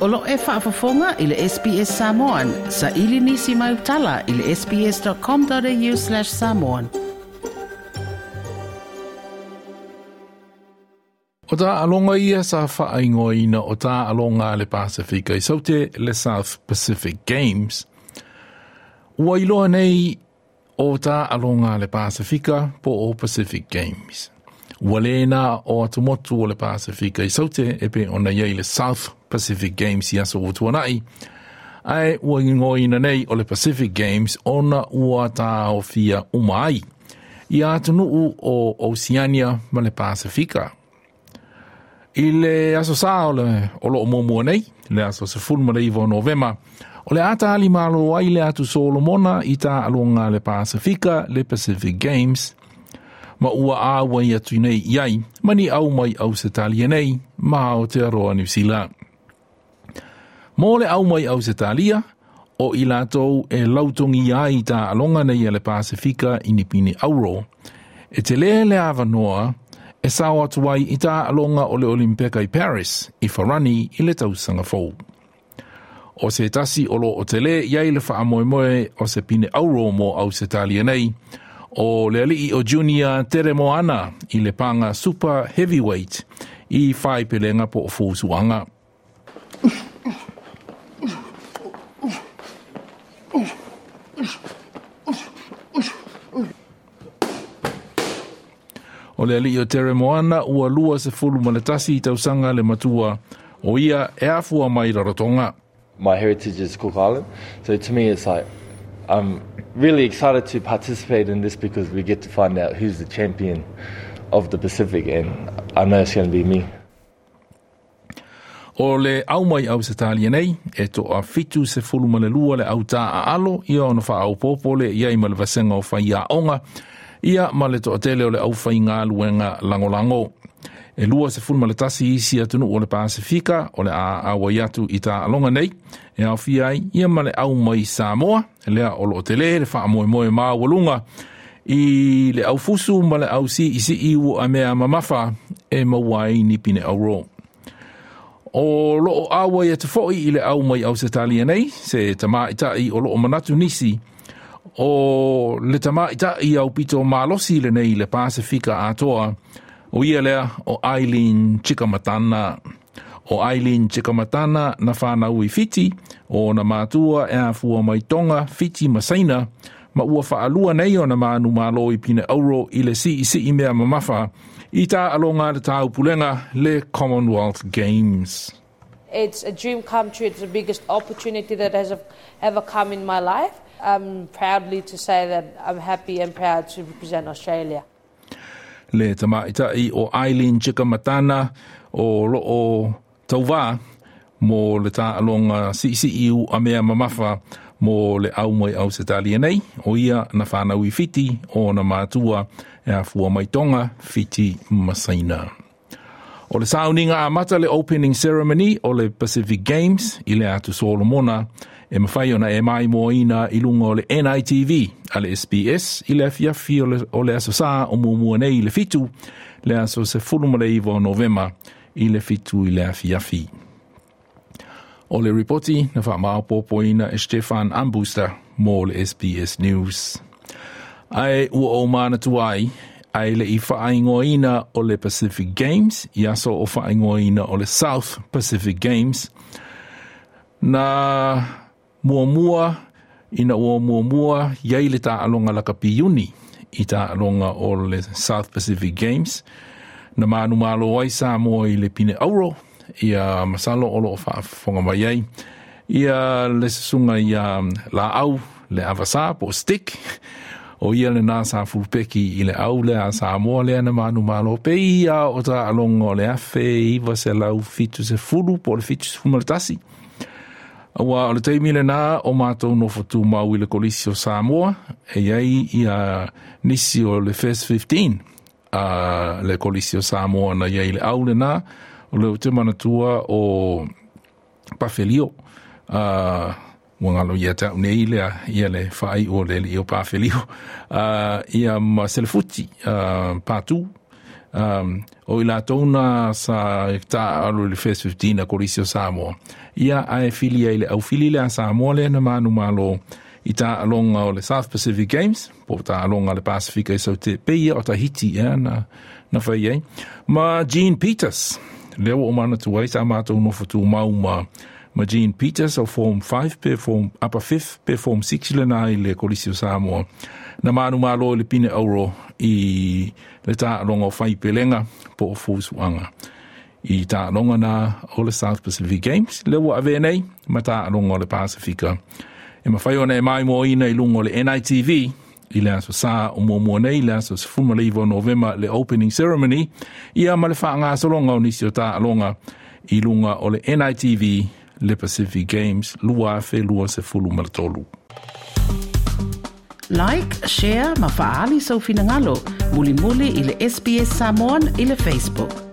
O lo e faafofoga i le SBS Samoan. Sa ili nisi mai utala i le sbs.com.au/samoan. O taaloga ia sa faaigoaina o taaloga a le Pasefika i Saute le South Pacific Games. Ua iloa nei o taaloga a le Pasefika po o Pacific Games. Ua le na o atumotu o le Pasefika i Saute e pei ona i ai le South Pacific Games i aso ua tuanai, ae ua igoaina nei o le Pacific Games ona ua taofia uma ai ia atunuu o Oceania ma le Pasefika. I le aso Sā o le o loo muamua nei, le aso 19 o Novema, o le a tali malo ai le atu Solomona i taaloga a le Pasefika, le Pacific Games, ma ua auai atu nei i ai, ma ni au mai Ausetalia nei, ma Aotearoa Niu Sila. Mo le au mai Ausetalia, o i latou e lautogia ai taaloga nei a le Pasefika i ni pine auro, e tele le avanoa e sao atu ai i taaloga o le Olimpeka i Paris, i Farani i le tausaga fou. O se tasi o loo tele i ai le faamoemoe o se pine auro mo Ausetalia nei, o le alii o Junior Teremoana i le paga super heavyweight i faepelega po o fusuaga. O le alii o Teremoana ua 21 tausaga le matua, o ia e afua mai Rarotonga. My heritage is Cook Island, so to me it's like I'm really excited to participate in this because we get to find out who's the champion of the Pacific, and I know it's going to be me. O le au mai Ausetalia nei, e toa 72 le autā aalo, ia ona faaopoopo lea i ai ma le vasega o faiaoga, ia ma le toatele o le aufaigaluega lagolago. E 21 isi atunuu o le Pasefika o le a auai atu i taaloga nei, e aofia ai ia ma le au mai Samoa, lea o loo tele le faamoemoe maualuga i le aufusu ma le au siisii ua mea mamafa e maua ai ni pine auro. O loo auai atu foi i le au mai Ausetalia nei, se tamaitai o loo manatu nisi, o le tamaitai aupito malosi lenei i le Pasefika atoa, o ia lea o Eileen Chikamatana. O Eileen Chikamatana na whanau i Fiti, o na matua e afua mai Tonga, Fiti ma Saina, ma ua whaalua nei o na manu malo i pine auro i le siisii mea mamafa i taaloga a le taupulega le Commonwealth Games. It's a dream come true. It's the biggest opportunity that has ever come in my life. I'm proudly to say that I'm happy and proud to represent Australia. Le tamaitai o Eileen Chikamatana o loo tauvā mo le taaloga siisii a mea mamafa mo le au mai Ausetalia nei, o ia na whanau i Fiti o na matua e afua mai Tonga, Fiti ma Saina. O le sauniga amata le opening ceremony o le Pacific Games i le atu Solomona e mafai ona e maimoaina i luga o le NITV a le SBS i le afiafi o le aso Sā o muamua nei i le 7, le aso 19 o Novema i le 7 i le afiafi. O le ripoti na faamaopoopoina e Stefan Armbruster mo le SBS News. Ae ua ou manatua ai, ae le i faaigoaina o le Pacific Games, i aso o faaigoaina o le South Pacific Games, na muamua ina ua muamua i ai le taaloga lakapi iuni i taaloga o le South Pacific Games, na manumalo ai Samoa i le pine auro, ia masalo o loo faafofoga mai ai ia le susuga ia Laau le Avasā po o Stick, o ia lenā sa fulupeki i le au lea a Samoa lea na manumalo pei ia o taaloga o le 1970 po o le 71. Aua o le taimi lenā o matou nofo tumau i le Kolisi o Samoa, e i ai ia nisi o le First 15 a le Kolisi o Samoa na i ai i le au lenā, o lea ou te manatua o Pafelio, ua galo ia te au nei lea, ia le faaiu o le alii o Pafelio, ia ma Selefuti, Patu, O i latou na sa taaalo i le First 15 a Kolisi o Samoa. Ia ae fili ai le aufili lea a Samoa lea na manumalo i taaloga o le South Pacific Games, po o taaloga a le Pasifika i Saute, pei ia o Tahiti ea na fai ai. Ma Jean Peters, lea ua ou manatua ai sa matou nofo tumau ma Jean Peters o Form 5 pe Form Upper 5th pe Form 6 lena i le Kolisi o Samoa. Na manumalo i le pine auro i le taaloga o faipelega po o fusuaga i taaloga na o le South Pacific Games, lea ua avea nei ma taaloga o le Pasifika. E mafai ona e maimoaina i luga o le NITV i le aso Sa o muamua nei, le aso 19 o Novema le opening ceremony, ia ma le faagasologa o nisi o taaloga i luga o le NITV le Pacific Games 2023. Like, share ma faaali sou finagalo. Mulimuli i le SBS Samoan i le Facebook.